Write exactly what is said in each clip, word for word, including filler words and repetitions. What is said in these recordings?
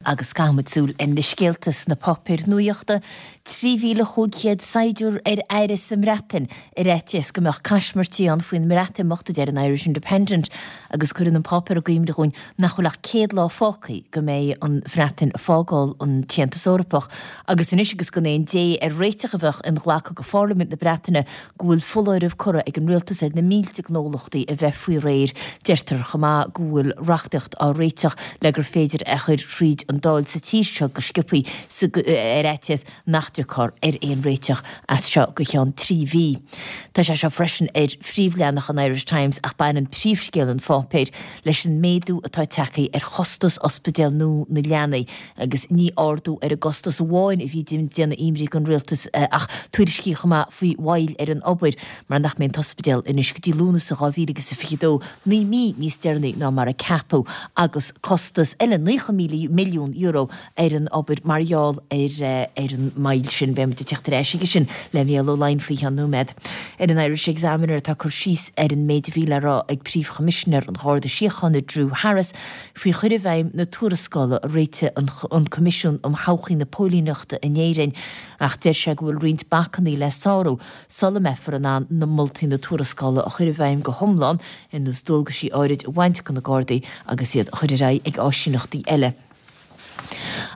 Agus caithfimid súil ar na scéalta sna páipéir nuachta, trí mhíle chúig chéad saighdiúir ar aire sa mBreatain ar fhaitíos go mbeadh caismirtí ann faoin mBreatimeacht, a deir an Irish Independent, agus cuireann an páipéar i gcuimhne dhúinn nach bhfuil ach céad lá fágtha go mbeidh an Bhreatain ag fágáil an tAontas Eorpach. Agus anois agus gan aon dé ar réiteach a bheadh inghlactha go Pharlaimint na Breataine go bhfuil foláireamh curtha ag an rialtas ar na mílte gnólachtaí a bheith faoi réir, deirtear chomh maith go bhfuil reachtaíocht á réiteach le gur féidir é a chur thríd an Dáil sa tír seo go sciobtha ar fhaitíos nach dtiocfar ar aon réiteach as seo go ceann trí mhí. Tá sé seo freisin ar phríomhleathanach an Irish Times ach baineann príomhscéal an pháipéir leis an méadú atá tagtha ar chostas ospidéal nua na leanaí agus ní ardú ar an gcostas amháin a bhí ag déanamh imní don rialtas ach tuairiscí chomh maith faoi mhoill ar an obair mar nach mbeidh an t-ospidéal anois go dtí Lúnasa dhá mhíle agus a fiche dó, naoi mí níos deireanaí ná mar a ceapadh agus costas eile naocha míle milliún euro ar an obair mar gheall ar ar an moill sin. Beidh muid ag teacht ar ais aige sin le Mícheál Ó Laighin faoi cheann nóiméad. Ar an Irish Examiner tá cur síos ar an méid a bhí le rá ag Príomh-Choimisinéir an Gharda Síochána Drew Harris faoi chur i bhfeidhm na tuarascála a réitigh an Coimisiún um Thodhchaí na Póilíneachta in Éirinn ach deir sé go bhfuil roinnt bacannaí le sárú sula mbeifear in ann na moltaí na tuarascála a chur i bhfeidhm go hiomlán, ar nós dualgaisí áirid a bhaint de na Gardaí agus iad a chur ar aghaidh ag áisíneachtaí eile.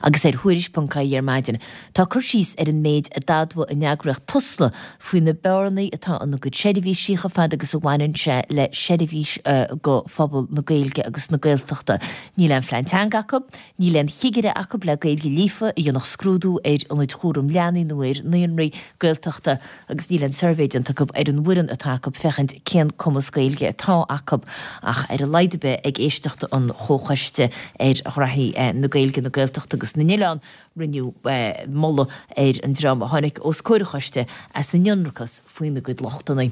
Agus ar Thuairisc ponc ie ar maidin, tá cur síos ar an méid a d'admhaigh an eagraíocht Tusla faoi na bearnaí atá ina gcuid seirbhísí chomh fada agus a bhaineann sé le seirbhís do phobal na Gaeilge agus na Gaeltachta. Níl aon phlean teanga acu, níl aon chigire acu le Gaeilge líofa a dhéanfadh scrúdú ar ionaid chúram leanaí nó ar naíonraí Gaeltachta agus níl aon suirbhé déanta acu ar an bhfoireann atá acu féachaint cén cumas Gaeilge atá acu ach ar a laghad ar bith ag éisteacht an Chomhchoiste ar Ghraithí na Gaeilge, na Gaeltachta agus na nOileán, rinneadh moladh ar an dream a tháinig os comhair an choiste as a n-ionracas faoina gcuid lochtanna.